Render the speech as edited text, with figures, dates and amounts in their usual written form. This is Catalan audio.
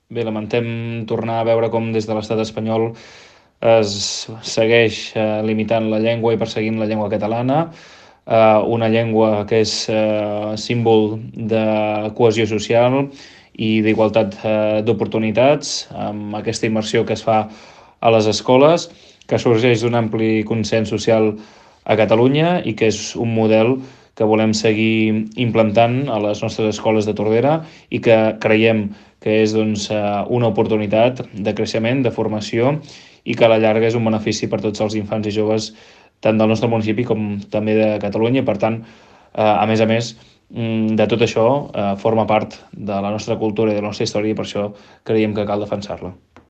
bé, lamentem tornar a veure com des de l'estat espanyol es segueix limitant la llengua i perseguint la llengua catalana, una llengua que és símbol de cohesió social i d'igualtat d'oportunitats, amb aquesta immersió que es fa a les escoles, que sorgeix d'un ampli consens social a Catalunya i que és un model que volem seguir implantant a les nostres escoles de Tordera i que creiem que és una oportunitat de creixement, de formació i que a la llarga és un benefici per tots els infants i joves tant del nostre municipi com també de Catalunya. Per tant, a més, de tot això forma part de la nostra cultura i de la nostra història i per això creiem que cal defensar-la.